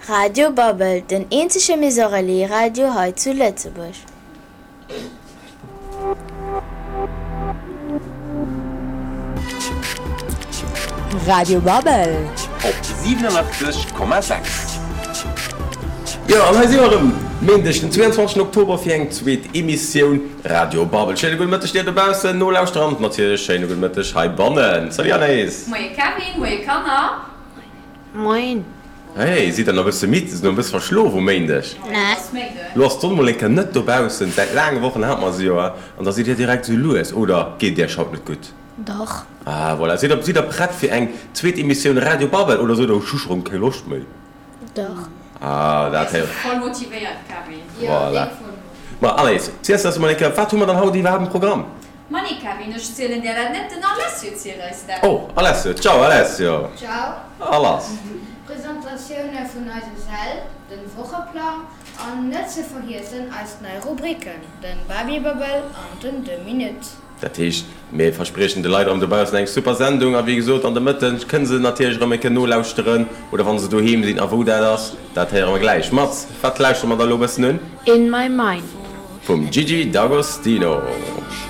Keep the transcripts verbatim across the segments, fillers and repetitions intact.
Radio Babbel, den eenzege Maison Relais Radio hei zu Lëtzebuerg. Radio Babbel. Op siwenenachtzeg Komma sechs. Jo, an hei si mer erëm, Méindeg den zweeanzwanzegsten Oktober fir eng zweet Emissioun Radio Babbel. Schéine gudde Mëtteg dir dobaussen, Nolauschterer an natierlech schéine gudde Mëtteg heibannen. Salut Anaïs. Moie Kevin, moie Kanner. Moien. Hey, sidd der nach e bësse midd? Sidd der nach e bësse verschlof um Méindeg? Nee. Lo ass d'Sonn mol eng Kéier net dobaussen, säit laange Wochen hate mer se jo, an da sidd dir direkt esou lues, oder geet iech haut net gutt? Dach. Ah voilà, sidd der, sidd der prett fir eng zweet Emissioun Radio Babbel, oder sot der, ech hu scho rëm keng Loscht méi? Dach. Ah, dat héiert. Voll motivéiert, Kevin. Voilà. Ma Anaïs, ziels eis emol eng Kéier, wat hu mer dann haut iwwerhaapt um Programm? Ma nee, Kevin, ech zielen där dat net, den Alessio zielt eis dat. Oh, Alessio, ciao Alessio. Ciao. A lass. Presentatioune vun eise Säll, den Wocheplang an net ze vergiessen eis nei Rubriken, den Babibabel an den Deux Minutes. Dat heescht, mir verspriechen de Leit erëm dobaussen eng super Sendung a wéi gesot, an de Mëtten kënne se natierlech erëm eng Kéier nolauschteren oder wa se doheem sinn. A wou dat ass, dat héiere mer gläich. Mats, wat lauschtere mer da elo e bëssen un? In My Mind. Vum Gigi D'Agostino.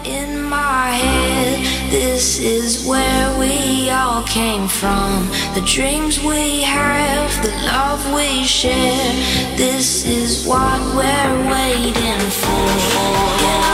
In my head, this is where we all came from. The dreams we have, the love we share. This is what we're waiting for.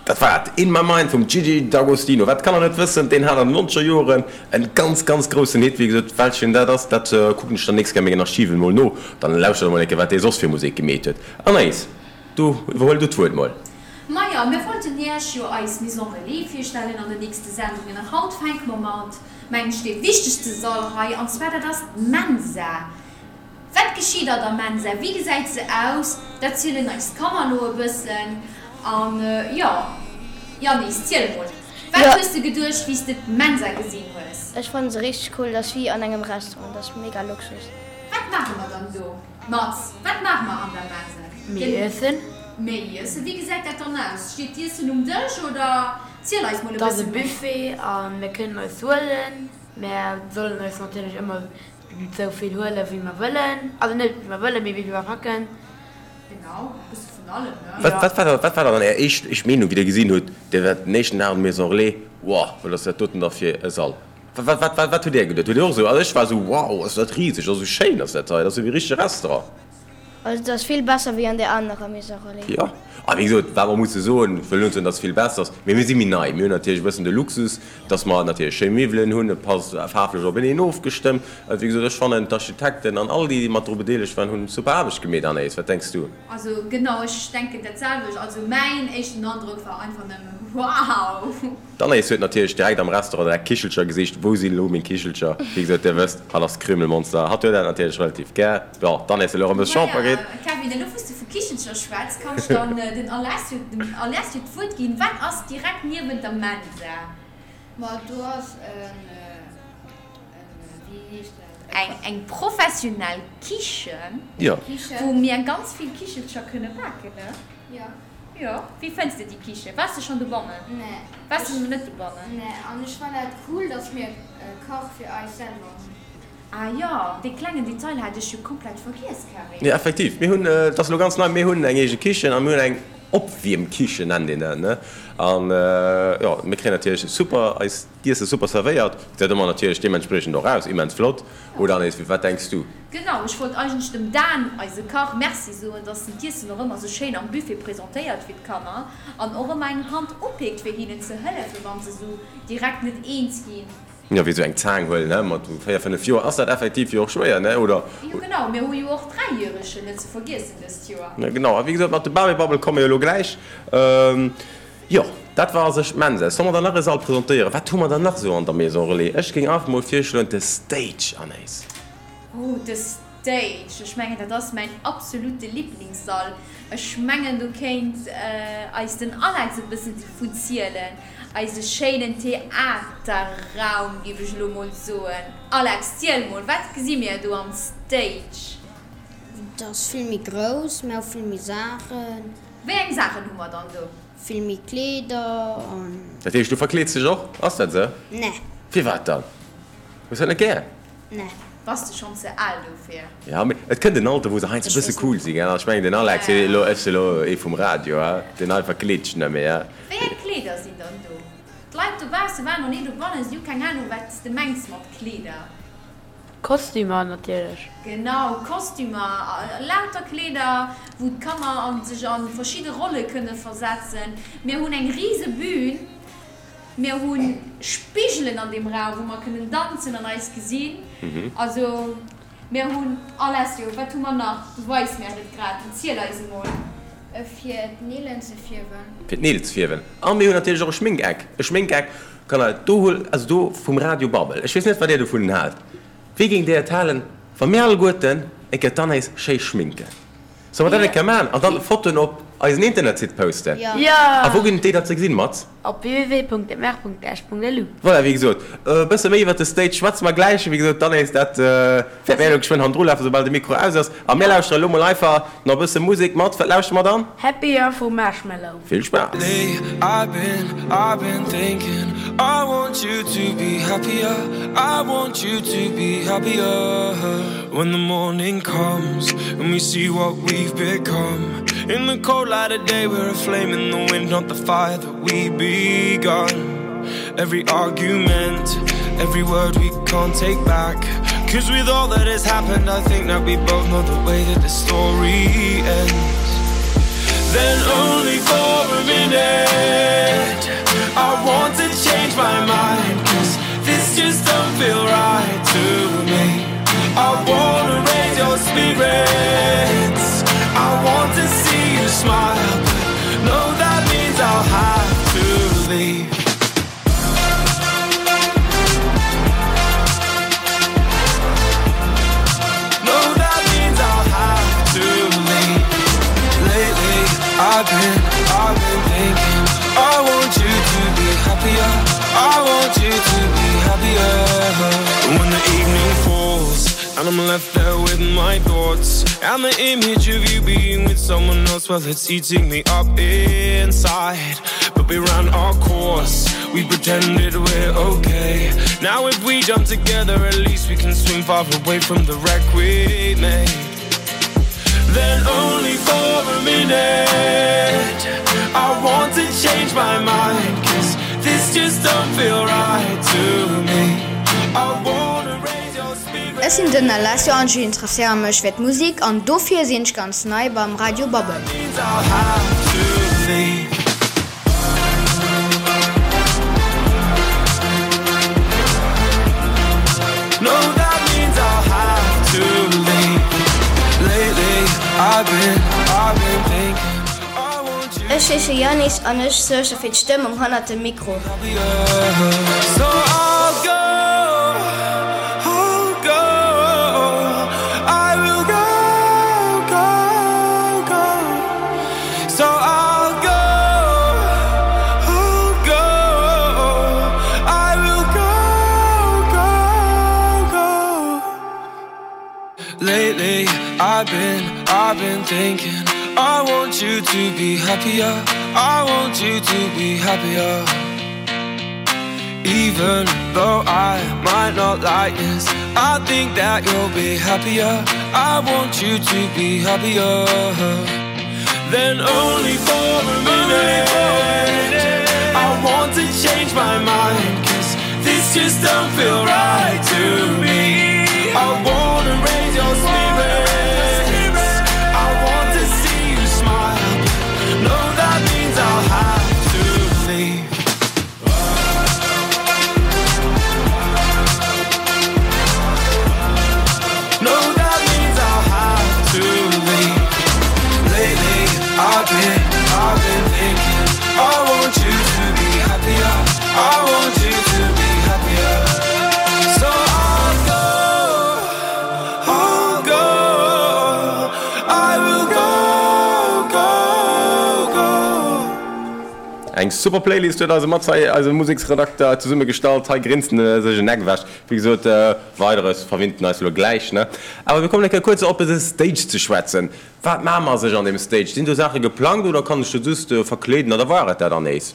Dat war et, In My Mind vum Gigi D'Agostino. Wat d'Kanner net wëssen, deen hat an den nonzeger Joren en ganz, ganz groussen Hit. Wéi gesot, welchen dat ass, dat kucken ech dann nächst Kéier a mengen Archiven mol no. Dann lauschtert emol eng Kéier, wat dee soss fir Musek gemeet huet. Anaïs, du, iwwerhuel du d'Wuert mol. Majo, mir wollten Iech jo eis Maison Relais virstellen an den nächste Sendungen. An haut fänke mer mat, mengen ech, dee wichtegste Sall hei, an zwar dat ass d'Mensa. Wat geschitt an der Mensa? Wéi gesäit se aus? Dat zielen eis d'Kanner elo e bëssen. An jo, Yannis, ziel emol, wat Jo. hues de geduecht, wéi s de d'Mensa gesinn hues? Ech fannen se richteg cool, dat ass wéi an engem Restaurant, dat ass mega Luxus. Wat maache mer dann do, Mats? Wat maache mer an der Mensa? Mir iessen. Mir iessen. Wéi gesäit dat dann aus? Steet d'Iessen um Dësch oder? Ziel eis mol e Et ass e bësse méi. Buffet a mir kënnen eis huelen. Mär sollen eis natierlech ëmmer esou vill huelen, wéi mer wëllen. Also net wéi mer wëllen, mee wéi vill mer packen. Genau, e bësse vun allem, ne? Wat, wat war da, wat war dann Är éischt, éischt Meenung, wéi Dir gesinn hutt, Dir waart den éischten Dag an der Maison Relais, Wow, wat ass dat doten da fir e Sall? Wat, wat, wat, wat hutt Dir geduet? Hutt Dir och esou, also ech war esou, wow, ass dat riseg, ass esou schéin ass dat hei, dat ass esou wéi e richtege Restaurant. Also dat ass vill besser wéi an där anerer Maison Relais. Jo, a wéi gesot, wat mer musse soen, ech wëll net soen, datt et vill besser ass, mee mir si méi nei, mir hunn natierlech e bëssen de Luxus, datt mer natierlech schéi Miwwelen hunn, et passt faarflech openeen ofgestëmmt. Wéi gesot, ech fannen d'Architekten an all déi, déi mat dru bedeelegt waren, hunn super Aarbecht gemeet. Anaïs, wat denks du? Also genau, ech denken dat selwecht. Also mäin éischten Androck war einfach nëmmen wow! D'Anaïs huet natierlech direkt am Restaurant direkt Kichelcher gesicht, Wou sinn elo meng Kichelcher? Wéi gesot, dir wësst, hatt ass Krümelmonster, hatt huet dat natierlech relativ gär. Bon, d'Anaïs huet elo erëm e Champer kritt. Maja, Kevin, elo wou s de vu Kichelcher schwätz, kann ech dann den Alessio, dem Alessio d'Wuert ginn. Wat ass direkt niewent der Mensa? Ma do ass en, en, wéi heescht dat? Eng, eng professionell Kichen, Jo. wou mir ganz vill Kichelcher kënne baken, ne? Jo. Jo. Wéi fënns de déi Kichen? Waars de schonn dobannen? Nee. Waars de net dobannen? Nee, an ech fannen dat cool, dass mir e Kach fir eis selwer hunn. Ah jo, dee klengen Detail hat ech jo komplett vergiess, Kevin. Jo, effektiv. Mir hunn, et ass elo ganz nei, mir hunn eng eege Kichen a mir hunn eng Opwiermkichen nennt een dat, ne? An jo, mir kréien natierlech super eist Iesse super zerwéiert. Gesäit ëmmer natierlech deementspriechend och aus, immens flott. Oder Anaïs, wat denks du? Genau, ech wollt eigentlech dem Dan, eise Kach, Merci soen, dass en d'Iessen och ëmmer sou schéin am Buffet presentéiert fir d'Kanner an och ëmmer eng Hand upeekt fir hinnen ze hëllefen, wann se sou direkt net eens ginn. Jo, wéi sou eng Zaang huelen, ne, mat véier, fënnef Joer ass dat effektiv jo och schwéier, ne, oder? Jo, genau, mir hu jo och Dräijäregen net ze vergiessen dëst Joer. Jo, genau, a wéi gesot, mat de Babybabbel komme jo elo gläich. Jo, dat war a sech d'Mensa. Solle mer dann nach e Sall presentéieren? Wat hu mer dann nach sou an der Maison Relais? Ech géing einfach mol virschloen, de Stage, Anaïs. Oh, de Stage, ech mengen dat ass mäin absolute Liblingssall. Ech mengen do kéint eis den Alex e bëssen dovun zielen. Eise schéinen Theaterraum, géif ech elo mol soen. Alex, ziel mol, wat gesi mir do am Stage? Et ass vill méi grouss, mir hu vill méi Saachen. Wéi eng Saachen hu mer dann do? Vill méi Kleeder an. Dat heescht, du verkleeds dech och? Ass dat esou? Nee. Firwat dann? Hues dat net gär? Nee. Bass de schonn ze al dofir? Ja, mee et kënnt en Alter, wou se heiansdo e bësse cool sinn, gell? Ech mengen, den Alex, hie elo, ech si elo ee vum Radio, he, deen hei verkleet sech net méi, he. Wéi eng Kleeder sinn dann do? D'Leit dobausse waren noch ni dobannen, si hu keng Anung, wat s de mengs mat Kleeder. Kostümer natierlech. Genau, Kostümer, lauter Kleeder, wou d'Kanner a sech a verschidde Rolle kënne versetzen. Mir hunn eng rise Bühn. Mir hu Spigelen an deem Raum, wou mer kënnen danzen an eis gesinn. Also mir hunn alles. Jo, wat hu mer nach? Du weis mär et grad. Ziel eis emol. Fir d'Neelen ze fierwen. Fir d'Neel ze fierwen. A mir hunn natierlech och e Schminkeck. E Schminkeck, Kanner, do huel, also do vum Radio Babbel. Ech weess net, wat Dir dovun haalt. Wéi géingt Dir et halen, wa mir alleguerten eng Kéier d'Anaïs schéi schminken? Solle mer dat eng Kéier maachen an dann Fotoen op eisen Internetsite posten? Jo! A wou ginn et déi da ze gesinn, Mats? Op www.mr.esch.lu. Voilà, wéi gesot, e bësse méi iwwert de Stage schwätze mer gläich. Wéi gesot, d'Anaïs, dat wäert mir elo geschwënn hannendru lafen, soubal de Mikro aus ass. A mir lauschtere elo mol einfach nach e bësse Musek. Mats, wat lauschtere mer dann? Happier vu Marshmello. Vill Spaass! When the morning comes and we see what we've become In the cold light of day we're a flame in the wind not the fire that we begun Every argument, every word we can't take back Cause with all that has happened I think that we both know the way that the story ends Then only for a minute I want to change my mind Cause this just don't feel right to me I wanna raise your spirits I want to see you smile But no that means I'll have to leave No that means I'll have to leave Lately I've been, I've been thinking I want you to be happier I want you to be happier When the evening falls And I'm left there with my thoughts And the image of you being with someone else Well, it's eating me up inside But we ran our course We pretended we're okay Now if we jump together At least we can swim far away from the wreck we made Then only for a minute I want to change my mind Cause this just don't feel right to me I wanna raise your spirits. Ech sinn den Alessio an ech interesséiere mech fir d'Musek an dofir sinn ech ganz nei beim Radio Babbel. Means I'll have to leave. No, that means I'll have to leave. Lately, I've been, I've been thinking. I want you Ech heesche Yannis an ech suerge fir d'Stëmmung hannert dem Mikro. So I'll go, I'll go. I will go, go, go. So I'll go, I'll go. I will go, go, go. Lately, I've been, I've been thinking. I want you to be happier. I want you to be happier. Even though I might not like this, I think that you'll be happier. I want you to be happier. Then only for a minute, I want to change my mind. Cause this just don't feel right to me. I wanna raise your spirits. I want to see you smile. No, that means I'll have to leave. No, that means I'll have to leave. Lately, I've been, I've been thinking. I want you to be happier. I want you to be happier. So I'll go, I'll go. I will go, go, go. Eng super Playlist huet eise Mats hei, eise Museksredakter, zesummegestallt. Hei grinst en sech en Eck ewech. Wéi gesot, Weideres verwinnt en eis elo gläich, ne? Awer mir kommen eng Kéier kuerz op de Stage ze schwätzen. Wat maache mer sech an deem Stage? Sinn do Saache geplangt oder kann ech do just verkleeden oder war et dat dann nees?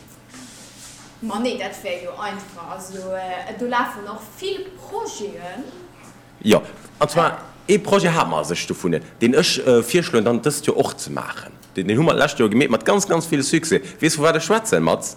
Ma nee, dat wär jo einfach. Also do lafen och vill Projeten. Jo, an zwar ee Projet hate mer sech dovun, deen ech virschloen dann dëst Joer och ze maachen. Deen hu mer d'lescht Joer gemeet mat ganz, ganz vill Succès. Weess vu wat ech schwätzen, Mats?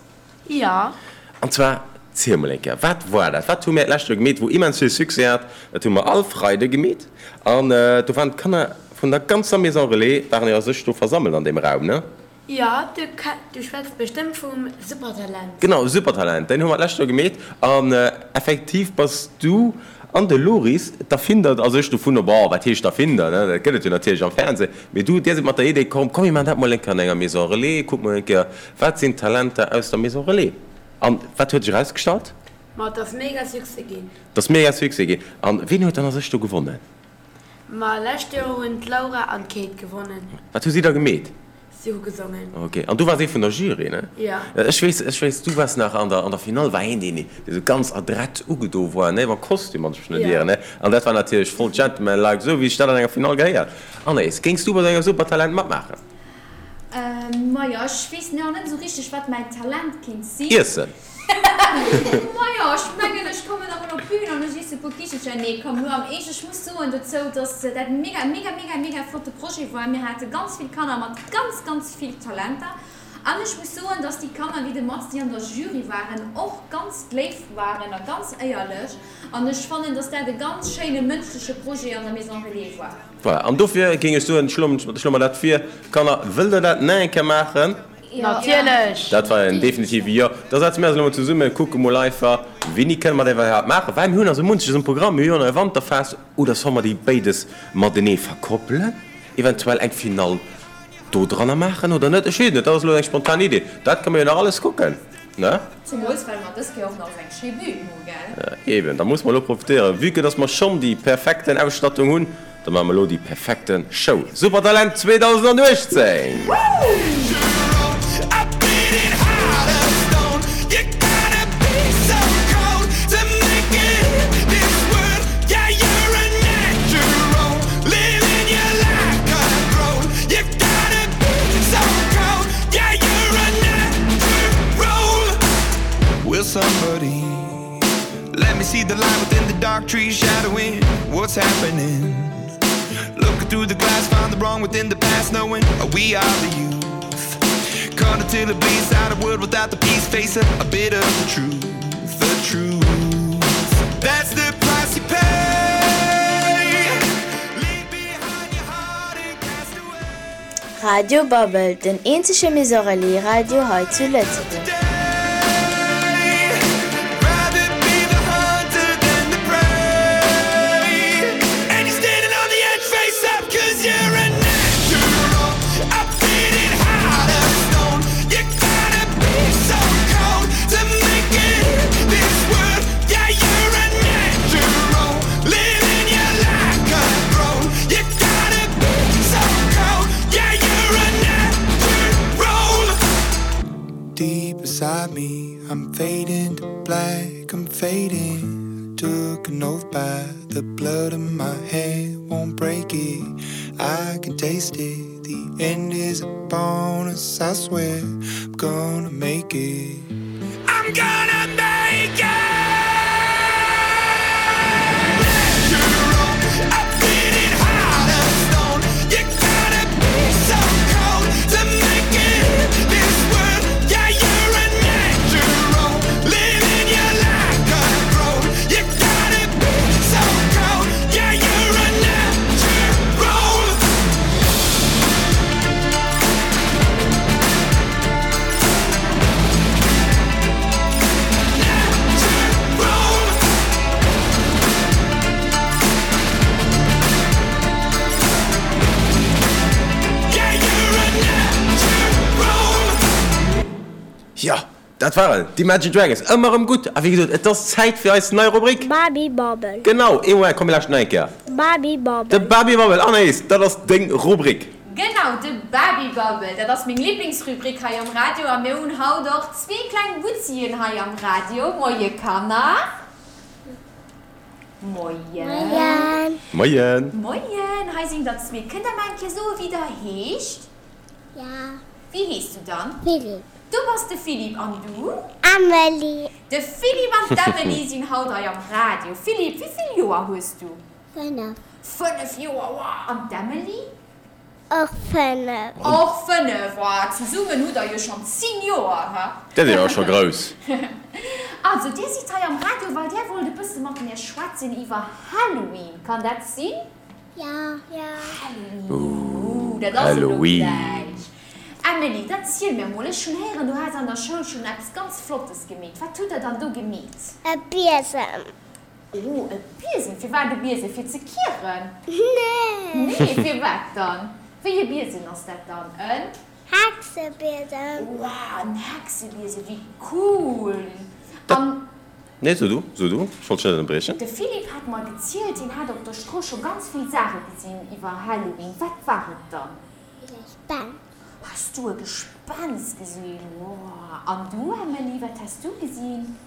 Jo. An zwar, ziel mol eng Kéier, wat war dat? Wat hu mir d'lescht Joer gemeet, wou immens vill Succès hat? Dat hu mer all Freide gemeet an do waren d'Kanner vun der ganzer Maison Relais waren jo a sech do versammelt an deem Raum, ne? Jo, du du schwätz bestëmmt vum Supertalent. Genau, Supertalent, deen hu mer d'lescht Joer gemeet an effektiv bass du an de Loris d'Erfinder a sech dovunner, bon, wat heescht Erfinder, ne, dat gëtt et jo natierlech am Fernseh, mee du, dir sidd mat der Idee komm, komm mir maachen dat mol eng Kéier an enger Maison Relais, kucke mol eng Kéier, wat sinn d'Talenter aus der Maison Relais. An wat huet sech erausgestallt? Ma et ass mega Succès ginn. Et ass mega Succès ginn. An wien huet dann a sech do gewonnen? Ma lescht Joer hunn d'Laura an d'Kate gewonnen. Wat hu si da gemeet? Si hu gesongen. Ok. An du waars ee vun der Jury, ne? Jo. Ech weess, ech weess, du waars nach an der, an der Finall war een, deen, dee sou ganz adrett ugedo war, ne, mam Kostüm, wann ech mech net ieren, ne? An dat war natierlech voll gentleman-like, sou wéi sech dat an enger Finall gehéiert. Anaïs, géings du bei sou engem Supertalent matmaachen? Majo, ech weess nach net esou richteg, wat mäin Talent kéint sinn. Iessen. Majo, ech mengen, ech kommen da mol op d'Bün an ech iesse puer Kichelcher. Nee, komm, elo am Eescht, ech muss soen dozou, dass dat e mega, mega, mega, mega flotte Projet war. Mir hate ganz vill Kanner mat ganz, ganz vill Talenter. An ech muss soen, dass déi Kanner, wéi de Mats, déi an der Jury waren, och ganz léif waren a ganz éierlech. An ech fannen, dass dat e ganz schéine mënschleche Projet an der Maison Relais war. Voilà, an dofir géing ech soen, schloe mer dat vir. Kanner, wëllt der dat nach eng Kéier maachen? Natierlech! Dat war en definitive Jo. Da setze mir eis elo mol zesummen, kucke mol einfach, wéini kënne mer dat iwwerhaapt maachen, well mir hunn also munches um Programm. Mir hu jo nach e Wanterfest. Oder solle mer déi béides matenee verkoppelen? Eventuell eng Finall do dranner maachen oder net? Ech weess et net, dat ass elo eng spontan Idee. Dat kënne mer jo nach alles kucken, ne? Zemools well mer dës Kéier och nach esou eng schéi Bühn hu, gell? Eben, da musse mer elo profitéieren. Vue que dass mer schonn déi perfekten Ausstattung hunn, da maache mer elo déi perfekten Show. Supertalent zweedausenduechtzéng! Will somebody let me see the light within the dark trees shadowing what's happening? Looking through the glass, find the wrong within the past, knowing we are the youth. Caught until it bleeds out a world without the peace, face a, a bit of the truth, the truth. That's the Radio Babbel, den eenzege Maison Relais Radio hei zu Lëtzebuerg. Rather be the hunter than the prey. And you're standing on the edge, face up, 'cause you're a natural. A beating heart of stone. You gotta be so cold to make it in this world. Yeah, you're a natural. Living your life cutthroat. You gotta be so cold. Yeah, you're a natural. Deep inside me, I'm fading to black, I'm fading. Took an oath by the blood in my hand, won't break it. I can taste it. The end is upon us, I swear. I'm gonna make it. I'm gonna make it. Natural, a beating heart of stone. You gotta be so cold to make it in this world. Yeah, you're a natural, living your life cutthroat. You gotta be so cold. Yeah, you're a natural. Jo, dat waren d'Imagine Dragons. Ëmmer erëm gutt. A wéi gesot, et ass Zäit fir eis nei Rubrik. Babi Babbel. Genau, ee Moment, komm mir lauschten nach eng Kéier. Babi Babbel. De Babi Babbel, Anaïs, dat ass deng Rubrik. Genau, de Babi Babbel, dat ass meng Liblingsrubrik hei am Radio a mir hunn haut och zwee kleng Butzien hei am Radio. Moie Kanner. Moien. Moien. Moien. Moien, hei sinn der zwee. Kënnt der mar eng Kéier soe wéi der heescht? Ja. Wéi heeschs du dann? Philipp. Du bass de Philipp an du? Amelie. De Philipp an d'Amelie sinn haut hei am Radio. Philipp, wéi vill Joer hues du? Fënnef. Fënnef Joer, wow. An d'Amelie? Och fënnef. Och fënnef, wow. Zesummen hutt der jo schonn zéng Joer, ha? Dat ass jo och scho grouss. Also, dir sidd hei am Radio, well dir wollt e bësse mat mir schwätzen iwwer Halloween. Kann dat sinn? Ja. Ja. Halloween. Ooh, dat ass elo Halloween. gläich. Amelie, dann ziel mir mol, ech hunn héieren, du has an der Schoul schonn eppes ganz Flottes gemeet. Wat hutt der dann do gemeet? E Biesem. Oh, e Biesem. Firwat e Biesem? Fir ze kieren? Nee. Nee, firwat dann? Wéi e Biesem ass dat dann? En? Hexebiesem. Wow, en Hexebiesem, wéi cool! An. Nee, so du, so du, ech wollt dech net ënnerbriechen. De Philippe hat mer gezielt, hien hat op der Strooss scho ganz vill Saache gesinn iwwer Halloween. Wat war et dann? E Gespenst. Has du e Gespenst gesinn? Wow. An du, Emily, wat has du gesinn?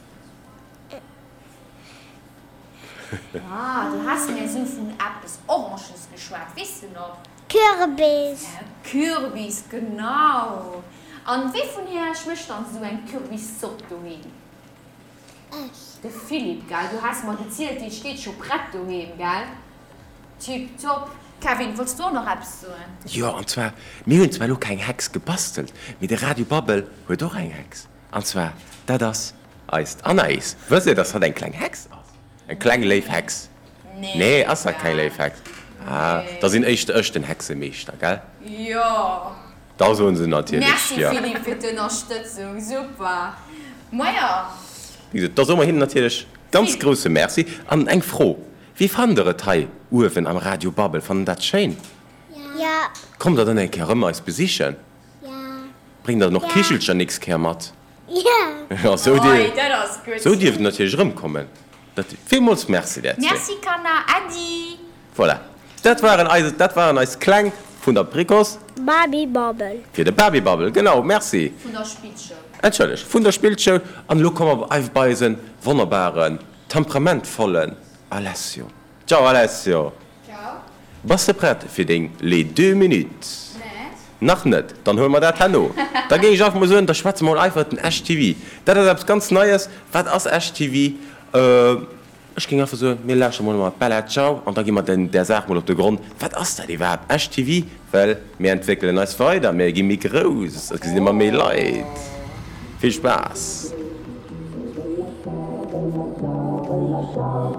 Ah, du has mir esou vun eppes Oranges geschwat, weess de nach? Kürbis. E Kürbis, genau. An wee vun iech mécht dann esou eng Kürbiszopp doheem? Ech. De Philippe, gell? Du has mer gezielt, déi steet scho prett doheem, gell? Tiptop. Kevin, wollts du och nach eppes soen? Jo, an zwar, mir hunn zwar elo keng Hex gebastelt, mee de Radio Babbel huet och eng Hex. An zwar, dat ass eist Anaïs. Wësst Dir, dass hatt eng kleng Hex ass? Eng kleng léif Hex. Nee. Nee, ass dat keng léif Hex? Ah, da sinn éischter ech den Hexemeeschter, gell? Jo. Da soen se natierlech Merci, jo. Philippe, fir d'Ënnerstëtzung. Super. Maja. Wéi gesot, da soe mer hinnen natierlech ganz grousse Merci. An eng Fro, Wéi fannt der et hei uewen am Radio Babbel? Fannt der dat schéin? Ja. Kommt der dann eng Kéier erëm eis besichen? Ja. Bréngt der dann och Ja. Kichelcher nächst Kéier mat? Ja. Ja, sou Oi, dir, dat ass gutt. sou dierft der natierlech erëmkommen. Dat, villmools Merci där zwee. Merci, Kanner. Äddi. Voilà. Dat waren eis, dat waren eis Kleng vun der Précoce. Babi Babbel. Fir de Babi Babbel, genau, merci. Vun der Spillschoul. Entschëllegt, vun der Spillschoul. An elo komme mer bei eisen wonnerbaren, temperamentvollen Alessio. Ciao Alessio. Ciao. Bass de prett fir deng Les deux minutes? Net. Nach net? Dann huele mer dat herno. Da géing ech einfach mol soen, da schwätze mer mol iwwert den Esch T V. Dat ass eppes ganz Neies. Wat ass Esch T V? Ech géing einfach soen, mir lauschtere mol mat Bella Ciao an da gi mer den där Saach mol op de Grond. Wat ass dat iwwerhaapt, Esch T V? Well mir entwéckelen eis weider, mir gi méi grouss, et gesinn ëmmer méi Leit. Vill Spaass!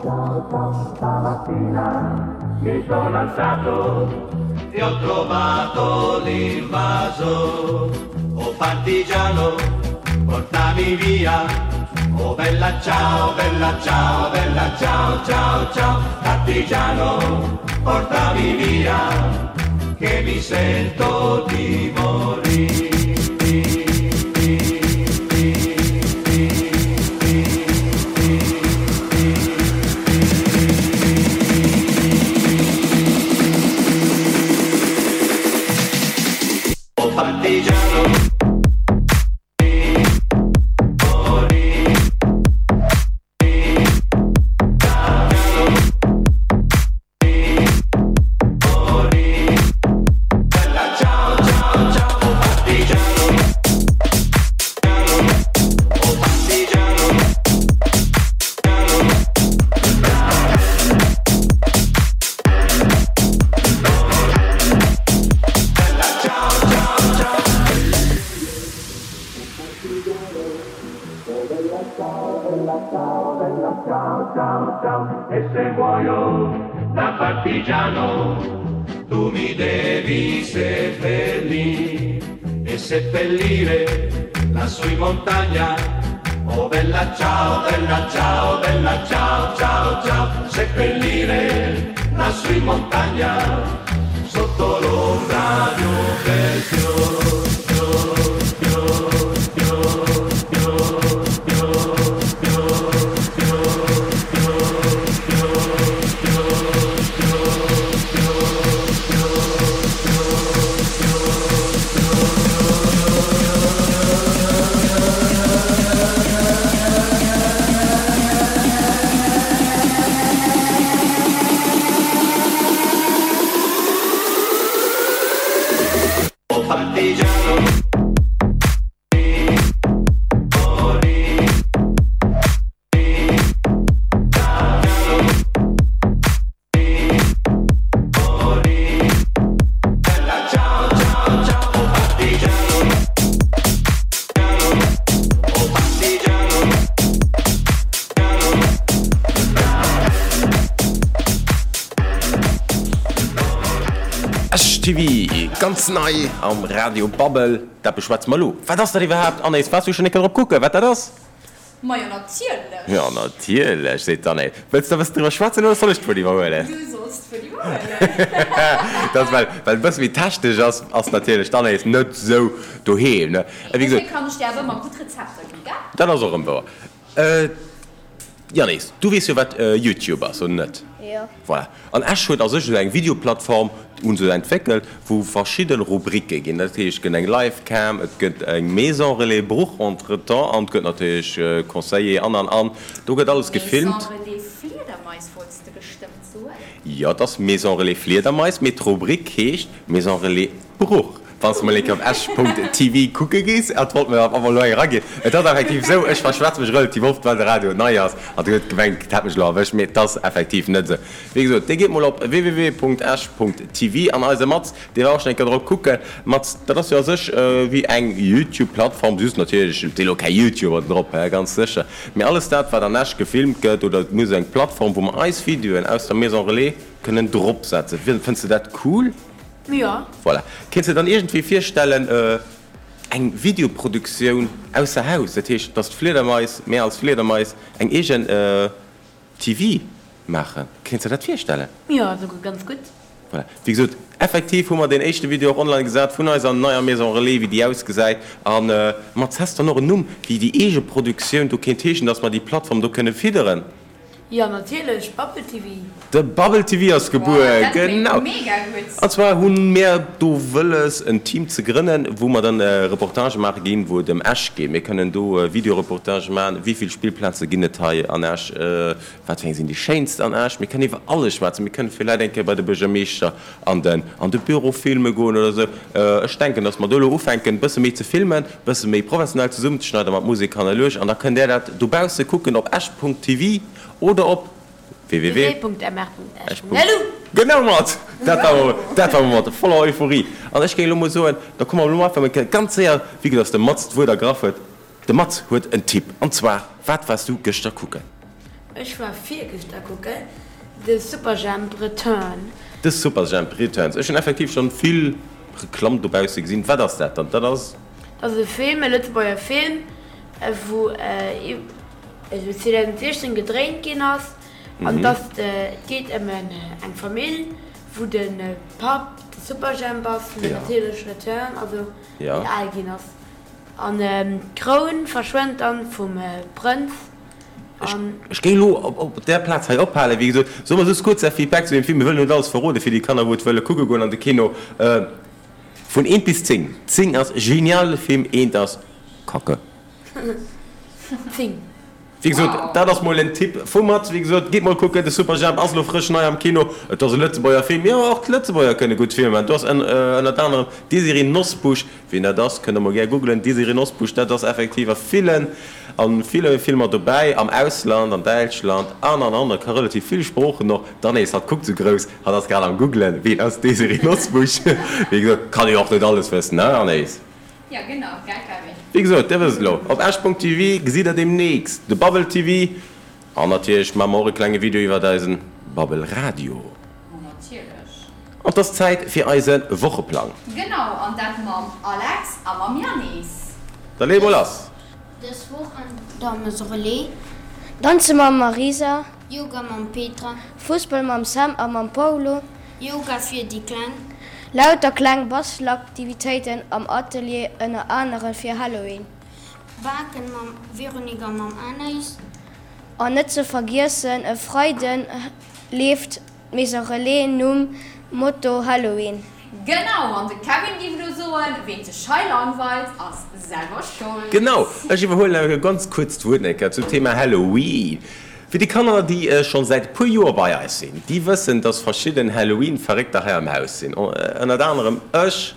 Ciao, ciao, stamattina mi sono alzato e ho trovato l'invaso. Oh partigiano, portami via. Oh bella ciao, bella ciao, bella ciao, ciao, ciao. Partigiano, portami via, che mi sento di morire. Oh partigiano. E se muoio da partigiano, tu mi devi seppellire e seppellire lassù in montagna. Oh bella ciao, bella ciao, bella ciao, ciao, ciao, seppellire lassù in montagna, sotto l'ombra di un bel fior, fior, fior, fior, fior, fior, fior, fior, fior, fior, fior, fior, fior, fior, fior, fior, Oh partigiano. Esch T V, ganz nei am Radio Babbel, dat beschwätze mer elo. Wat ass dat iwwerhaapt, Anaïs? Waars du schonn eng Kéier drop kucken, wat dat ass? Majo, natierlech! Jo, natierlech, seet d'Anaïs. Wëlls de e bëssen driwwer schwätzen oder soll ech d'Wuert iwwerhuelen? Du solls d'Wuert iwwerhuelen. Dat ass, well, well et e bësse méi technesch ass, ass natierlech d'Anaïs net esou doheem, ne? Wéi gesot. Dofir kann ech dir awer ëmmer gutt Rezepter ginn, gell? Dat ass och erëm wouer. Yannis, du weess jo wat YouTube ass, oder net? Jo. Voilà. An Esch huet a sech esou eng Videoplattform hu se entwéckelt, wou verschidde Rubricke ginn. Dat heescht, et gëtt eng Livecam, et gëtt eng Maison Relais Bruch entretemps an et gëtt natierlech Conseiller an an an. Do gëtt alles gefilmt. Maison Relais Fliedermais wollts de bestëmmt soen? Jo, et ass Maison Relais Fliedermais, mee d'Rubrik heescht Maison Relais Bruch. Wann s de mol eng Kéier op esch Punkt T V kucke gees, et wollt mir awer elo eng eraginn, et ass effektiv esou, ech verschwätze mech relativ oft, well de Radio nei ass, an et huet gemengt, et hätt mech elo erwëscht, mee et ass effektiv net esou. Wéi gesot, dir gitt mol op W W W Punkt esch Punkt T V an eise Mats, dee war och schonn eng Kéier drop kucken. Mats, dat ass jo a sech wéi eng YouTube-Plattform, just natierlech si elo keng YouTuber drop, hä, ganz sécher, mee alles dat, wat an Esch gefilmt gëtt, oder mir hu sou eng Plattform, wou mer eis Videoen aus der Maison Relais kënnen dropsetzen. Fënns de dat cool? Jo. Voilà. Kéints de dann iergendwéi virstellen, eng Videoproduktioun ausser Haus, dat heescht, dass d'Fliedermais, mir als Fliedermais, eng eegen T V maachen? Kéints de dat virstellen? Jo, esouguer ganz gutt. Voilà. Wéi gesot, effektiv hu mer deen éischte Video och online gesat vun eiser neier Maison Relais, wéi déi ausgesäit. A mat häss dann och en Numm, wéi déi eege Produktioun do kéint heeschen, dass mer déi Plattform do kënne fidderen? Jo, natierlech, Bubble T V. De Bubble T V ass gebuer, genau. An zwar hu mir do wëlles en Team ze grënnen, wou mer dann Reportagë maache ginn, wou et ëm Esch geet. Mir kënnen do Videoreportagë maachen, wéi vill Spillplaze ginn et hei an Esch, wat fir eng sinn déi schéinst an Esch. Mir kënnen iwwer alles schwätzen. Mir kënnen villäit eng Kéier bei de Buergermeeschter an den an de Büro filme goen oder esou. Ech denken, datt mer do elo ufänken, e bësse méi ze filmen, e bësse méi professionell zesummenzeschneiden mat Musek hannerluecht an da kënnt där dat dobausse kucken op esch Punkt T V oder op W W W Punkt M R Punkt esch Punkt L U. Genau mat! Dat war dat war mat voller Euphorie. An ech géing elo mol soen, da komme mer elo einfach mol ganz séier, wéi gesot, dass de Mats d'Wuert ergraff huet. De Mats huet en Tipp. An zwar, wat waars du gëschter kucken? Ech war virgëschter kucken, de Superjhemp Return. De Superjhemp Returns. Ech hunn effektiv schonn vill Reklamm dobausse gesinn. Wat ass dat dann? Dat ass. Dat ass e Film, e Lëtzebuerger Film, wou zweedausendsechzehn gedréint ginn ass. An et ass, et geet ëm eng Famill, wou de Papp de Superjhemp ass, mee natierlech Return, also deen al ginn ass. An d'Kroun verschwënnt dann vum Prënz. An. Ech géing elo op där Plaz hei ophalen. Wéi gesot, soe mer just kuerz Är Feedback zu deem Film. Mir wëllen net alles verrode fir déi Kanner, wou et wëlle kucke goen an de Kino. Vun eent bis zéng. Zéng ass genial Film, eent ass Kacke. Zéng. Wéi gesot, dat ass mol en Tipp vu Mats. Wéi gesot, gitt mol kucken, de Superjhemp ass elo frësch nei am Kino. Et ass e Lëtzebuerger Film, jo, och d'Lëtzebuerger kënne gutt Filmer maachen. Do ass ënnert anerem d'Désirée Nosbusch. Wien dat ass, kënnt der mol gär googelen. D'Désirée Nosbusch, dat ass effektiv a villen, a ville Filmer dobäi, am Ausland, an Däitschland an, an, an. A ka relativ vill Sproochen och. D'Anaïs, hatt kuckt sou grouss, hatt ass grad am googlen, wien ass d'Désirée Nosbusch. Wéi gesot, kann ee jo och net alles wëssen, ne Anaïs? Jo genau, gell Kevin? Wéi gesot, dir wësst elo, op esch.tv gesitt der deemnächst de Babbel T V an natierlech maache mer och e klenge Video iwwert eisen Babbel Radio. Ma natierlech. An 't ass Zäit fir eise Wocheplang. Genau, an dat mam Alex a mam Yannis. Da lee mol lass! Dës Woch an der Maison Relais. Danze mam Marisa. Yoga mam Petra. Fussball mam Sam a mam Paulo. Yoga fir déi Kleng. Lauter kleng Bastelaktivitéiten am Atelier, ënner anere fir Halloween. Baken mam Véronique a mam Anaïs. An net ze vergiessen, e Freiden leeft d'Maison Relais nom Motto Halloween. Genau, an de Kevin géif elo soen, ween sech hei langweilt, ass selwer schold. Genau, ech iwwerhuelen awer ganz kuerz d'Wuert eng Kéier zum Thema Halloween. Fir déi Kanner, déi schonn säit e puer Joer bei eis sinn, déi wëssen, dass verschidden Halloween-Verréckter hei am Haus sinn. Ënnert anerem ech,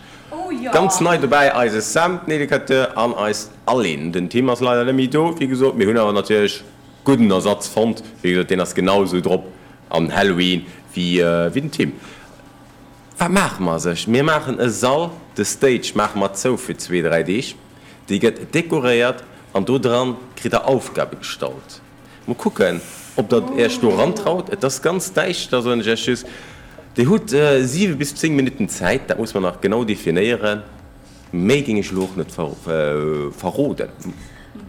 ganz nei dobäi eise Sam, den Educateur, an eist Aline. Den Tim ass leider net méi do, wéi gesot. Mir hunn awer natierlech gudden Ersatz fonnt. Wéi gesot, deen ass genau esou drop an Halloween wéi den Tim. Wat maache mer sech? Mir maachen e Sall, de Stage maache mer zou fir zwee, dräi Deeg. Dee gëtt dekoréiert an do dran kritt der Aufgabe gestallt. Mol kucken, ob der Iech do erantraut. Et ass ganz däischter, soen ech Iech just. Dir hutt siwe bis zéng Minutten Zäit, dat muss mer nach genau definéieren. Méi géing ech elo och net verroden.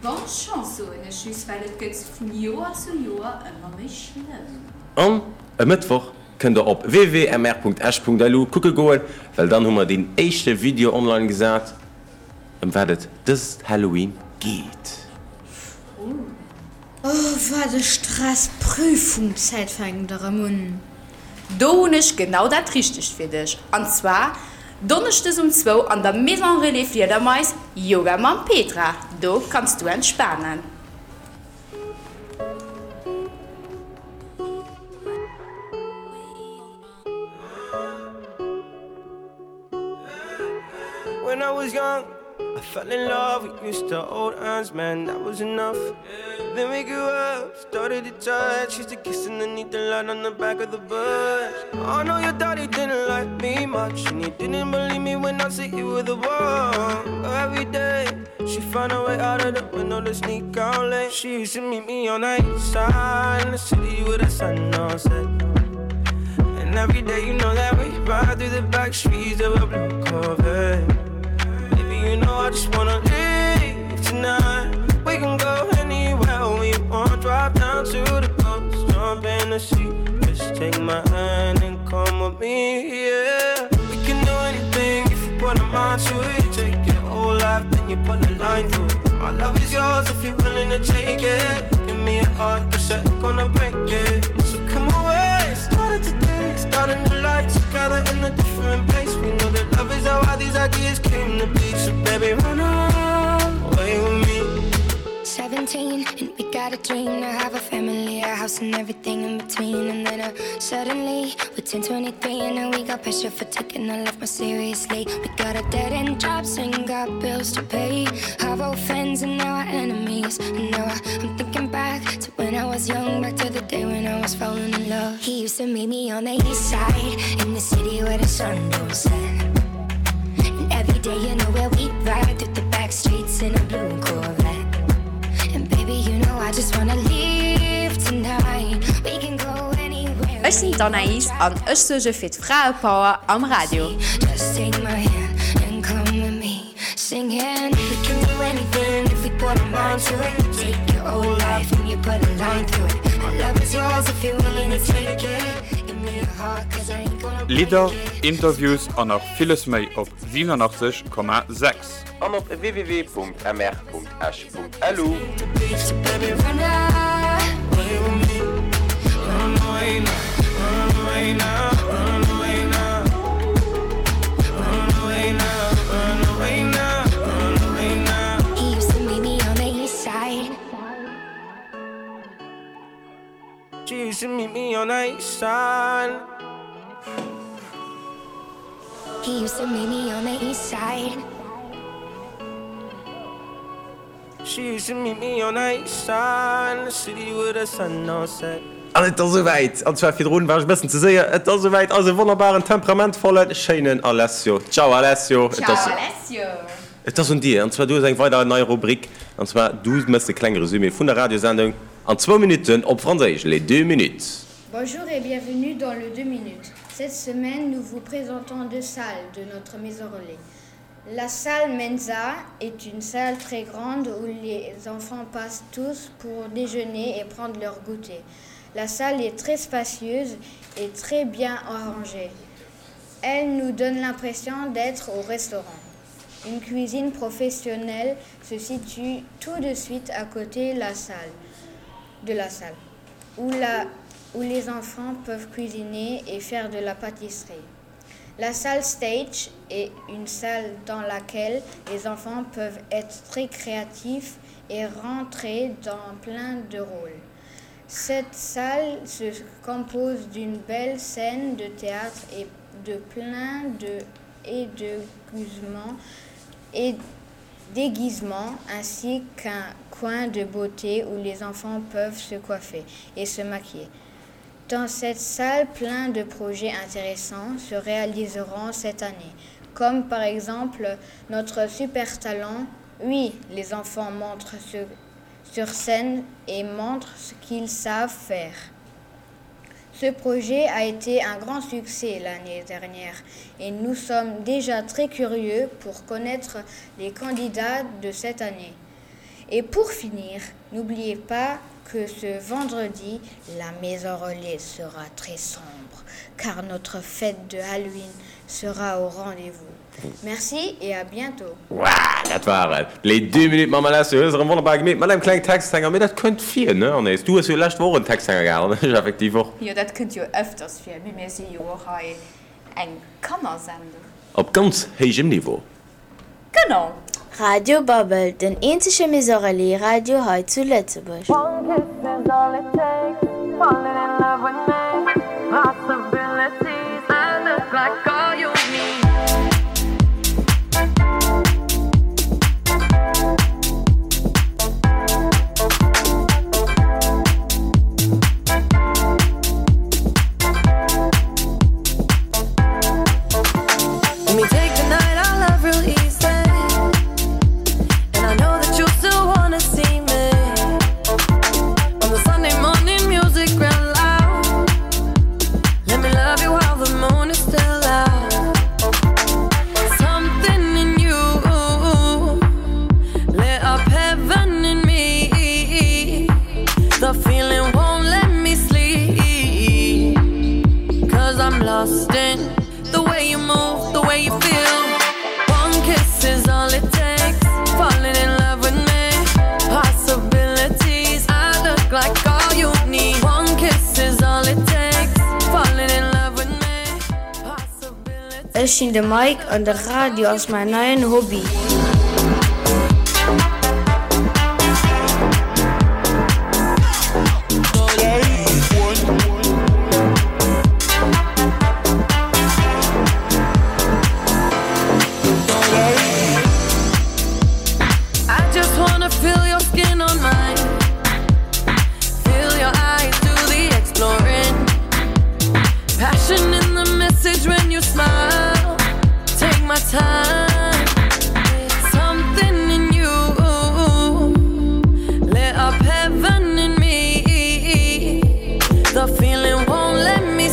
Bonne Chance, soen ech just, well et gëtt vun Joer zu Joer ëmmer méi schlëmm. An e Mëttwoch kënnt der op www.mr.esch.lu kucke goen, well dann hu mer deen éischte Video online gesat, ëm wat et dëst Halloween geet. Oh wat e Stress, Prüfungszäit fänkt erëm un. Do hunn ech genau dat richtegt fir dech, an zwar Donneschdes um zwou an der Maison Relais Fliedermais, Yoga mam Petra, do kanns du entspanen. When I was young, I fell in love. We used to hold hands, man, that was enough. Then we grew up, started to touch. Used to kiss underneath the light on the back of the bus. I know your daddy didn't like me much, and he didn't believe me when I said you were the one. Every day, she found a way out of the window to sneak out late. She used to meet me on the east side in the city with the sun on set. And every day, you know that we ride through the back streets of a blue Corvette. Baby, you know I just wanna leave tonight. We can go anywhere we want. Drive down to the coast, jump in the sea. Just take my hand and come with me, yeah. We can do anything if you put a mind to it. Take your whole life, then you put a line through it. My love is yours if you're willing to take it. Give me a heart, cause I'm gonna break it. So come away, start it today. Start a new life together in a different place. We know that love is how all these ideas came to be. So baby, run away with me. seventeen and we got a dream to have a family, a house and everything in between. And then uh, suddenly we're ten twenty-three and now we got pressure for taking our life more seriously. We got our dead end jobs and got bills to pay. Our old friends and now our enemies. And now I, I'm thinking back to when I was young, back to the day when I was falling in love. He used to meet me on the east side, in the city where the sun don't set. And every day you know where we ride through the back streets in a blue Corvette. And baby, you know I just wanna leave tonight. Ech sinn d'Anaïs an ech suerge fir d'Fraepower am Radio. Just take my hand and come with me singing. We can do anything if we put our mind to it. Take your whole life and you put a line through it. My love is yours if you're willing to take it. Give me your heart, cause I ain't gonna Lidder, Interviews an nach villes méi op siewenundachtzeg Komma sechs. An op www.mr.esch.lu. So baby, run away with me. Run away now, run away now, run away now. Run away now, run away now, run away now. He used to meet me on the east side. She used to meet me on the east side. He used to meet me on the east side. She used to meet me on the east side, the city with the sun on set. An et ass esouwäit, an zwar virdrun war ech e bëssen ze séier, et ass esouwäit, eise wonnerbaren, temperamentvollen, schéinen Alessio. Ciao Alessio. Et Ciao ass, Alessio. et ass un dir, an zwar du hues eng weider nei Rubrik, an zwar du méchs e klenge Resumé vun der Radiosendung an zwou Minutten op Franséisch, les deux minutes. Bonjour et bienvenue dans le deux minutes. Cette semaine, nous vous présentons deux salles de notre maison relais. La salle Mensa est une salle très grande où les enfants passent tous pour déjeuner et prendre leur goûter. La salle est très spacieuse et très bien arrangée. Elle nous donne l'impression d'être au restaurant. Une cuisine professionnelle se situe tout de suite à côté la salle, de la salle, où, la, où les enfants peuvent cuisiner et faire de la pâtisserie. La salle stage est une salle dans laquelle les enfants peuvent être très créatifs et rentrer dans plein de rôles. Cette salle se compose d'une belle scène de théâtre et de plein de et de déguisements et déguisements ainsi qu'un coin de beauté où les enfants peuvent se coiffer et se maquiller. Dans cette salle, plein de projets intéressants se réaliseront cette année, comme par exemple notre super talent. Oui, les enfants montrent ce, sur scène et montrent ce qu'ils savent faire. Ce projet a été un grand succès l'année dernière et nous sommes déjà très curieux pour connaître les candidats de cette année. Et pour finir, n'oubliez pas que ce vendredi, la maison relais sera très sombre car notre fête de Halloween sera au rendez-vous. Merci et à bientôt. Wow, dat war et. Les deux minutes mam Alessio hues erëm wonnerbar gemeet mat engem klengen Texthänger, mee dat kënnt vir, ne Anaïs? Du hues jo lescht Woch en Texthänger gehat, an ech effektiv och. Jo, dat kënnt jo ëfters vir, mee mir si jo och hei eng Kannersendung. Op ganz héijem Niveau. Genau. Radio Babbel, den eenzege Maison Relais Radio hei zu Lëtzebuerg. One kiss is all it takes, falling in love with me. Possibilities, I look like all you need. Let me take the night, I love real easy. And I know that you still wanna see me. On the Sunday morning music real loud. Let me love you while the moon is still out. Something in you lit up heaven in me. The feeling won't let me sleep. Cause I'm lost in the way you move, the way you feel. One kiss is all it takes. Falling in love with me. Possibilities, I look like all you need. One kiss is all it takes. Falling in love with me. Ech sinn de Mike an de Radio ass mäin neien Hobby. I just wanna feel your skin on mine. Feel your eyes do the exploring. Passion in the message when you smile. Take my time. Something in you lit up heaven in me. The feeling won't let me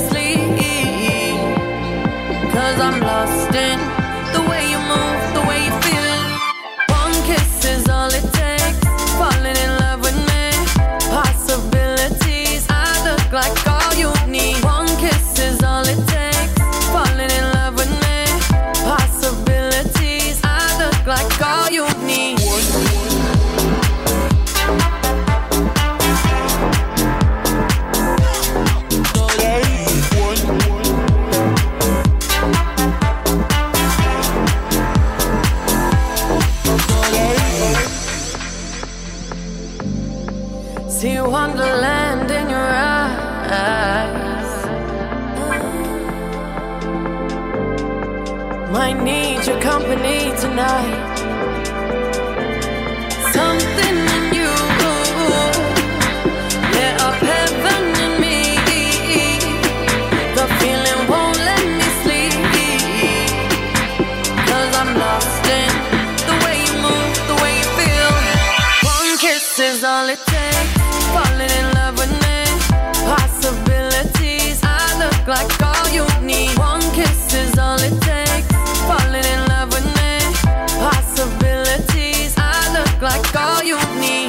Might need your company tonight. Something in you lit up heaven in me. The feeling won't let me sleep. Cause I'm lost in the way you move, the way you feel. One kiss is all it takes. Falling in love with me. Possibilities. I look like all you need. One kiss is all it takes. Falling in love with me. Possibilities. I look like all you need.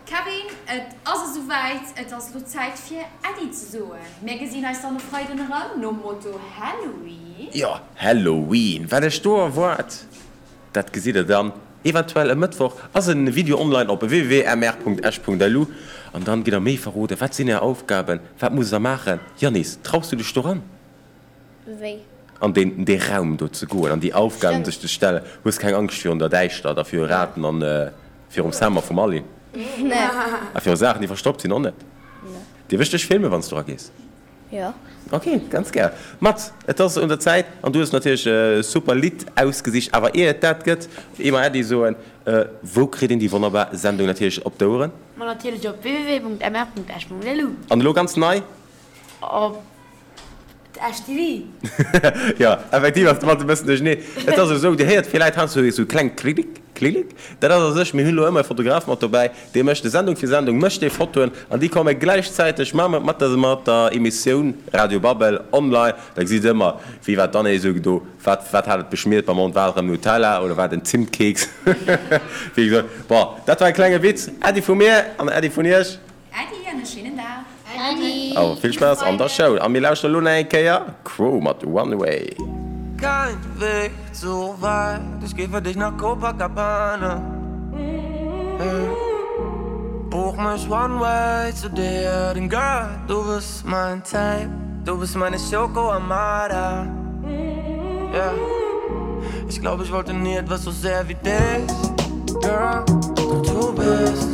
Kevin, et ass esouwäit, et ass elo Zäit fir Äddi ze soen. Mir gesinn eis dann e Freiden erëm, nom Motto Halloween. Jo, Halloween, wat iech do erwaart, dat gesitt der dann eventuell e Mëttwoch. Ass en Video online op www.mr.esch.lu an dann gitt der méi verroden. Wat sinn är Aufgaben? Wat musst der maachen? Yannis, traus du dech doran? Wéi? An deen dee Raum do ze goen an déi Aufgaben Stimmt. sech ze stellen. Hues keng Angscht virun der Däischtert a viru Raten an virum Summer vum Aline? Nee. A viru Saachen, déi verstoppt sinn, och net? Nee. Dierf ech dech filmen, wann s du eragees? Jo. Ok, ganz gär. Mats, et ass un der Zäit an du hues natierlech e super Lidd ausgesicht. Awer ier et dat gëtt, ier mer Äddi soen, wou kritt een déi wonnerbar Sendung natierlech op d'Oueren? Ma natierlech op www.mr.esch.lu. An elo ganz nei? Op Esch T V. Jo, effektiv ass de Mats e bëssen duercherneen. Et ass esou, Dir héiert villäit heiansdo esou kleng Klilik, Klilik. Dat ass a sech, mir hunn elo ëmmer e Fotograf mat dobäi, dee mécht de Sendung fir Sendung mécht dee Fotoen an déi komme gläichzäiteg ma mat der mat der Emissioun Radio Babbel online. Da gesitt Der ëmmer, wéi war d'Anne esou do, wat wat hat et beschmiert beim Mond, war et erëm Nutella oder war et en Zimtkeeks? Wéi gesot, bon, dat war e klenge Witz. Äddi vu mir an Äddi vun Iech. Äddi an e schéinen Dag. Äddi. Awer vill Spaass an der Schoul a mir lauschteren elo nach eng Kéier Cro mat One Way. Kein Weg so weit, ich geh für dich nach Copacabana. Hey. Buch mich one way zu dir, denn Girl, du bist mein Type, du bist meine Schoko Armada. Yeah. Ich glaub, ich wollte nie etwas so sehr wie dich, Girl, doch du bist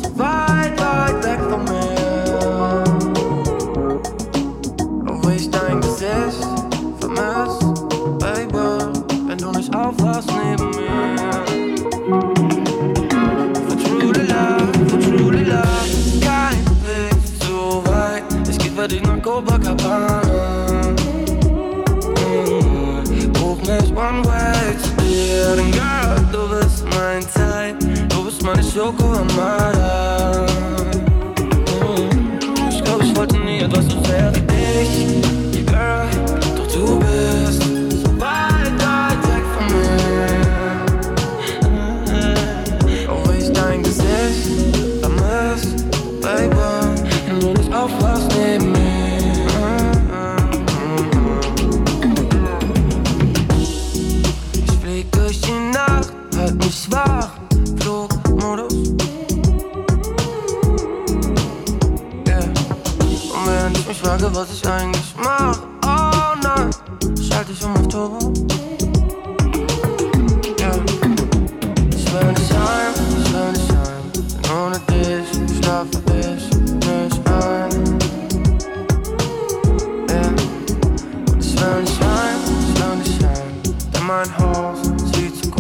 so weit, weit weg von mir. Auch wenn ich dein Gesicht vermiss, Baby, wenn du nicht aufwachst neben mir. For truly love, for truly love, kein Weg zu weit. Ich geh für dich nach Copacabana. Mm, Buch mich one way zu dir, denn Girl, du bist mein Type, du bist meine Schoko Armada. Mm, Ich glaub, ich wollte nie etwas so sehr wie dich, Girl, doch du bist so weit, weit weg von mir. Auch wenn ich dein Gesicht vermiss, Baby, wenn du nicht aufwachst neben mir. Ich flieg durch die Nacht, halt mich wach, Flugmodus. Yeah. Und während ich mich frage, was ich eigentlich mach, oh nein, schalte ich um auf Turbo. Yeah. Ich will nicht heim, ich will nicht heim, denn ohne dich schlafe ich nicht ein. Yeah. Und ich will nicht heim, ich will nicht heim, denn mein Haus